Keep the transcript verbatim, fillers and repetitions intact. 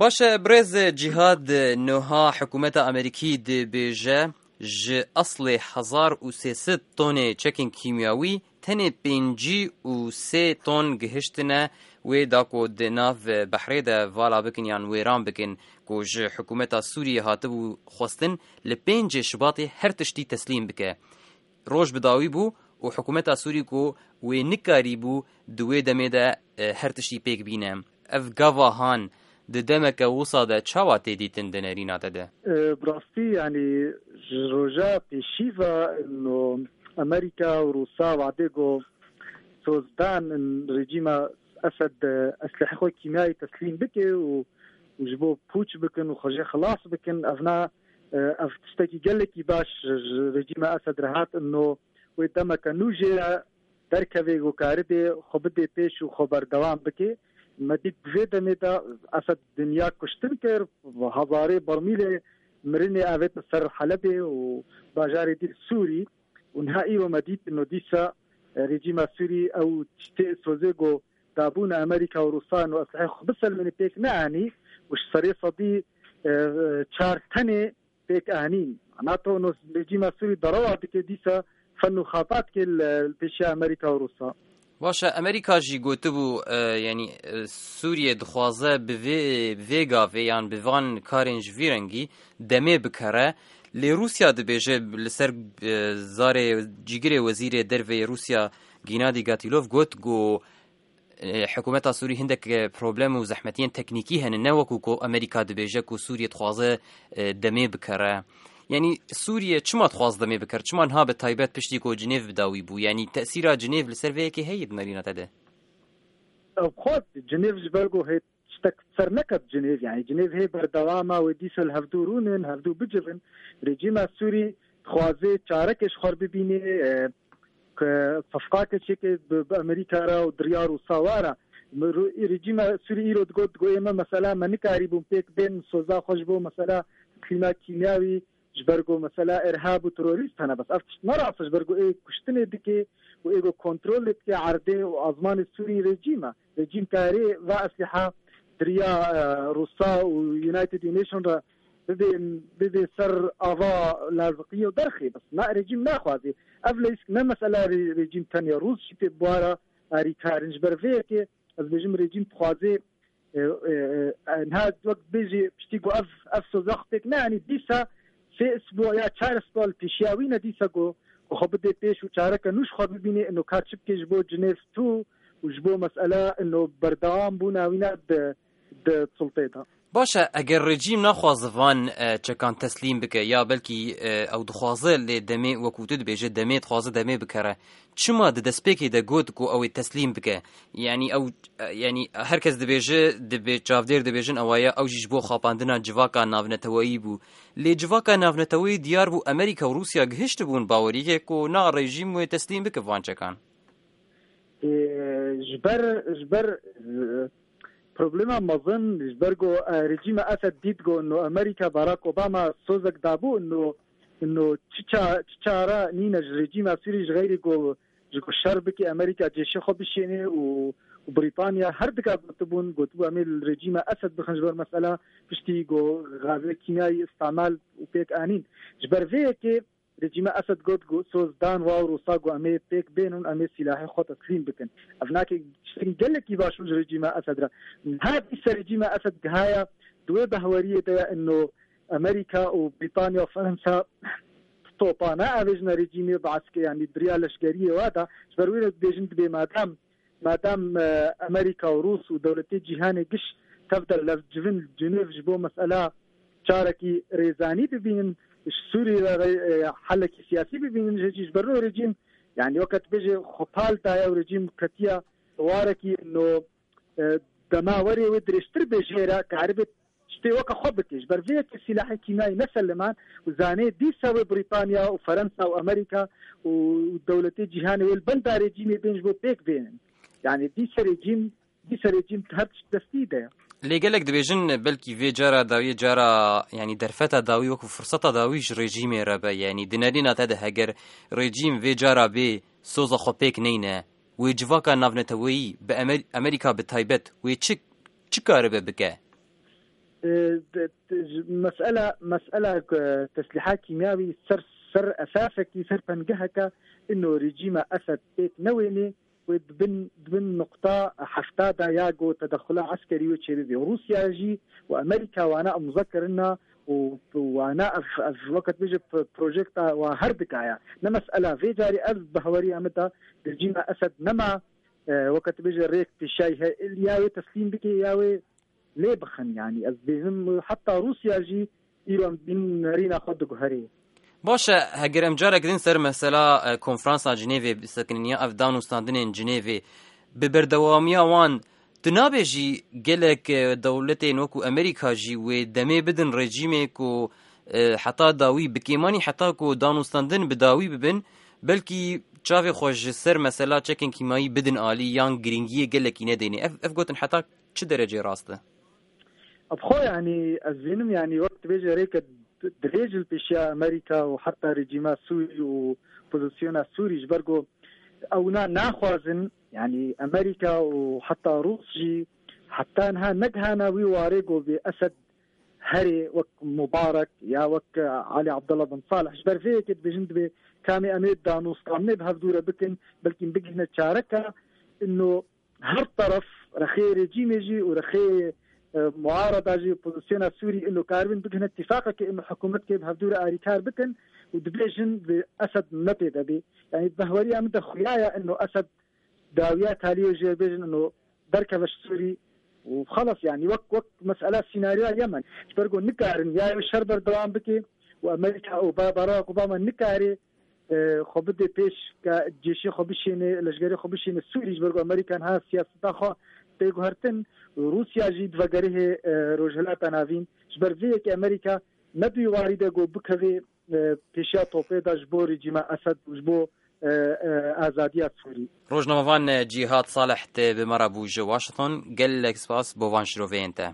Baş e, birêz Cîhad, niha hikûmeta Amerîkî dibêje, ji eslê hezar û sê sed tonê çekên kîmyawî tenê pêncî û sê ton gihiştine wê da ku di nav behrê de vala bikin yan wêran bikin, ku ji hikûmeta Sûriyê hatibû xwestin li pêncê Şubatê her tiştî teslîm bike. Roj bi dawî bû û hikûmeta Sûrî ku wê nikarîbû di wê demê de, e, her tiştî pêk bîne. Ev gava han di demeke wisa de çawa tê dîtin di nerîna te de? E, bi rastî, yanî ji roja pêşî ve no Amerîka û Rûsa wadê ku sozdan in rejîma Esed, e, eslehê xwe kîmyayî teslîm bike û, û ji bo pûç bikin û xwe jê xilas bikin. Ev na, e, ev tiştekî gelekî baş ji rejîma Esed re hat, ino wê demeke nû jê re derkeve û karibê xwe bidê pêş û xwe berdewam bike. Me dît bi vê demê de Esed dinya kuştin kir, hezarê bermîlê mirinê avête ser Helebê û bajarê dî Sûrî. Û niha îro me dît, ino dîsa, e, rejîma Sûrî ew tiştê sozê ku dabûn Amerîka û Rûsan û eslehê xwe biselmêne pêk neanî û ji serê sedî, e, çar tenê pêk anîn. NATO no rejîma Sûrî derewa dike dîsa fen û xabat ke li, li pêşiya Amerîka û Rûsa. Baş e, Amerîka jî gotibû, e, yanî, e, Sûriye dixwaze bi vê, bi vê gavê yan bi van karên ji vî rengî demê bikere. Lê Rûsya dibêje li ser, e, zarê cîgirê wezîrê derve yê Rûsya Gennady Gatilov got ku, e, hikûmeta Sûrî hindek, e, problem û zehmetiyên teknîkî hene, ne wekû ku Amerîka dibêje ku Sûriye dixwaze, e, demê bikere. Yanî Sûriye çima dixwaz demê bikir? Çima niha bi taybet piştî ku Cinêv bi dawî bû? Yanî tesîra Cinêv li ser vê yekê heye di nerîna te de? Ev xwest Cinêv ji ber ku hê tiştek ser neket Cinêv. Yanî Cinêv hê berdewama wê dîsa li hevdû rûnin, hevdû bicivin. Rejîma Sûrî dixwaze çareke ji xwe bibîne, e, ke sefqake çêke bi, bi Amerîka re û di riya Rûsa re. Mi ru-, rejîma Sûrî îro digot, digot, ê me mesela me nikarîbûn pêk bên soza xwe ji bo mesela teslîma kîmyawî, ji ber ku mesela irhab û terorîst hene. Bes ev tişt ne rast e, ji ber ku ê kuştinê dike û ê ku kontrolê dike erdê û azmanê Sûrî rejîm e. Rejîm karê va eslîha diriya, e, Rûsa û United Nation re bibê, bibê ser ava laziqiyê û derxê. Bes na rejîm naxwazê. Ev leysk ne mesela re-, rejîm tenya Rûs jî tê buwara arîkarin. Ji ber vê yekê ez bêjim rejîm dixwazê, e, e, e, niha wek bêjî piştî ku ev, ev soza xwe pêk neanî, dîsa sê isbû ya çar isbû li pêşiya wî ne dîsa ku, ku xwe bidê pêş û çareke nû ji xwe bibînê, ino ka çi bike ji bo Cinêv tu û ji bo mesela ino berdewam bûna wî ne di, di sultê de. Baş e, eger rejîm naxwaze van, e, çekan teslîm bike ya belkî, e, ew dixwaze lê demê wekû tu dibêje demê dixwaze demê bikere, çima di destpêkê de got ku ew ê teslîm bike? Yanî ew, e, yanî her kes dibêje, dibê çavdêr dibêjin ewa ye, ew jî ji bo xapandina civaka navneteweyî bû. Lê civaka navneteweyî diyar bû Amerîka û Rûsya gihiştibûn baweriyekê ku na rejîm wê teslîm bike van çekan. Ê, ji ber, ji ber, e, problema mezin, ji ber ku, e, rejîma Esed dît ku no Amerîka Barack Obama sozek dabû, no, no çi ça-, çi çare nîne ji rejîma Sûrî ji xeyrî ku ji ku şer bike Amerîka cêşê xwe bişêne û, û Brîtanya her dika gotibûn, gotibû em ê li rejîma Esed bixin ji ber mesela piştî ku gazê kîmyayî îstemal û pêk anîn. Ji ber vê yekê rejîma Esed got ku soz dan wa û Rûsa ku em ê pêk bênin, em ê sîlahê xwe teslîm bikin. Ev nake tiştekî gelekî baş bû ji rejîma Esed re. Niha dîsa rejîma Esed gihaya di wê behweriyê de ye, ino Amerîka û Brîtanya û Fransa topa naavêjine rejîmê, bi eske, yanî diriya leşkeriyê wa da. Ji ber wê re dibêjin dibê madem, madem, e, Amerîka û Rûs û dewletê cîhanê giş tev de levcivin Cinêv ji bo mesela çarekî rêzanî bibînin, ji Sûrî re, e, helekî siyasî bibînin, ji, ji ber wê rejîm, yanî weke tu bêjê xwe pal daye û rejîm ketiya warekî no, e, dema werê wê dirêjtir bê jê re, karibe tiştê weke xwe bike. Ji ber vê yekê sîlahê kîmyayî neseliman û zanê dîsa wê Brîtanya û Ferensa û Amerîka û dewletê cîhanê wê li benda rejîmê bên ji bo pêk bênin. Yanî dîsa rejîm, dîsa rejîm her tişt destî de ye. Lê gelek dibêjin belkî vê cara dawiyê cara, yanî derfeta dawî wekû firseta dawî ji rejîmê re be. Yanî di nerîna te de heger rejîm vê cara bê soza xwe pêk neyne, wê civaka navneteweyî bi Amer-, Amerîka bi taybet wê çi, çi karibe bike? E, de, de, ji, mesela, mesela, e, teslîha kîmyawî ser, ser esasekî, ser pengeheke ino rejîma Esed pêk newênê, wê dibin, dibin nuqta hefta de ya ku tedexula eskerî wê çêbibê. Rûsya jî û Amerîka wana imza kirina û wana ev, ev wekî bêje p-, projekta wa her dikaya. Ne mesela vê carî ev bi haweriya min de rejîma Esed nema, e, wekî bêje rêk pêşiyayî he, ya wê teslîm bike ya wê lê bixin. Yanî ez dibêjim heta Rûsya jî îro em dibînin nerîna xwe diguherê. Baş e, heger em carek din ser mesela, e, konferansa Cinêvê bisekinin ya ev danûstandinên Cinêvê, bi berdewamiya wan, tu nabêjî gelek, e, dewletên wekû Amerîka jî wê demê bidin rejîmê ku, e, heta dawî bi kêmanî heta ku danûstandin bi dawî bibin, belkî çavê xwe ji ser mesela çekên kîmayî bidin alî yan girîngiyê gelekî nedêne. Ev, ev gotin heta çi derecê rast e? Bi xwe, yanî, ez dibînim, yanî, wek dibêje rêke dirêj li pêşiya Amerîka û heta rejîma Sûrî û pozisyona Sûrî, ji ber ku ewna naxwazin, yanî, Amerîka û heta Rûs jî heta niha negihana wî warê ku bê Esed herê wek Mubarek ya wek Ali Abdullah bin Salih. Ji ber vê yekê dibêjin, dibê kamê em ê danûstandinê bi hevdû re bikin, belkî bigihine çareka ino her teref, rexê rejîmê jî û rexê, e, muarada jî, pozisyona Sûrî, ilo karibin bigihine tîfaqekê, ino hikûmetkê bi hevdû re arîkar bikin û dibêjin bi Esed ne pê de bê. Yanî, bi haweriya min de xuya ye ino Esed dawiya taliyê jê bêjin ino derkeve ji Sûrî û xelas, yanî, wek, wek mesela sînaryoya Yemen. Ji ber ku nikarin ya wê şer berdewam bike û Amerîka û Ba-, Barack Obama nikare e, xwe bide pêş, ke cêşê xwe bişêne, leşgerê xwe bişêne Sûrî, ji ber ku Amerîka niha siyaseta xwe tê guhertin, Rûsya jî di vegerihê, e, Rojhilata Navîn. Ji ber vê yekê Amerîka ne di wî warî de ku bikeve, e, pêşiya topê de ji bo rejîma Esed û ji bo, e, e, azadiya Sûrî. Rojnamevan, e, Cîhad Salih te bi me re bû ji Washington. Gelek spas bo van şiroveyên te.